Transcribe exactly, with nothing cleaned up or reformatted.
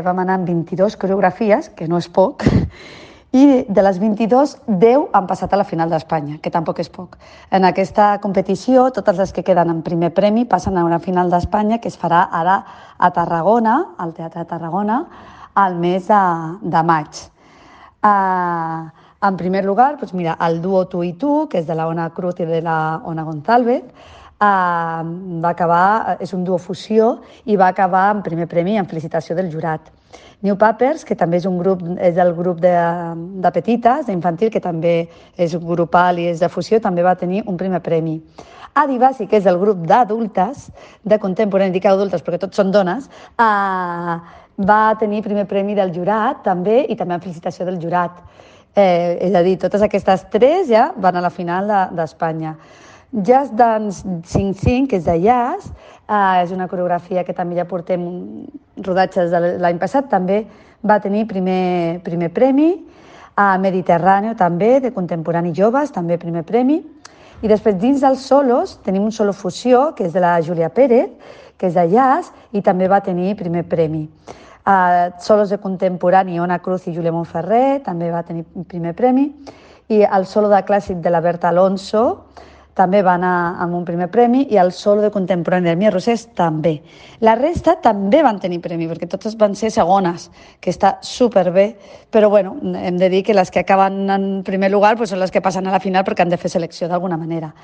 Vam anar amb vint-i-dues coreografies, que no és poc, i de les vint-i-dues, deu han passat a la final d'Espanya, que tampoc és poc. En aquesta competició, totes les que queden en primer premi passen a una final d'Espanya que es farà ara a Tarragona, al Teatre de Tarragona, al mes de, de maig. Uh, en primer lugar, doncs mira, el duo Tu i Tu, que és de la Ona Cruz i de la Ona González, uh, va acabar, és un duo fusió i va acabar en primer premi en felicitació del jurat. New Papers, que també és un grup, és el grup de, de petites, d'infantil, que també és grupal i és de fusió, també va tenir un primer premi. Adivasi, que és el grup d'adultes, de contemporani, dic adultes perquè tots són dones, eh, va tenir primer premi del jurat també i també en felicitació del jurat. Eh, és a dir, totes aquestes tres ja van a la final d'Espanya. Jazz Dance cinc cinc, que és de jazz, eh, és una coreografia que també ja portem rodatges de l'any passat, també va tenir primer, primer premi. A Mediterráneo també, de contemporani joves, també primer premi. I després dins dels solos tenim un solo fusió, que és de la Júlia Pérez, que és de jazz i també va tenir primer premi. Uh, solos de contemporani, Ona Cruz i Júlia Montferrer, també va tenir primer premi. I el solo de clàssic de la Berta Alonso també va anar amb un primer premi i el solo de contemporani de Mia Rosés també. La resta també van tenir premi, perquè totes van ser segones, que està superbé, però bueno, hem de dir que les que acaben en primer lugar pues, són les que passen a la final perquè han de fer selecció d'alguna manera.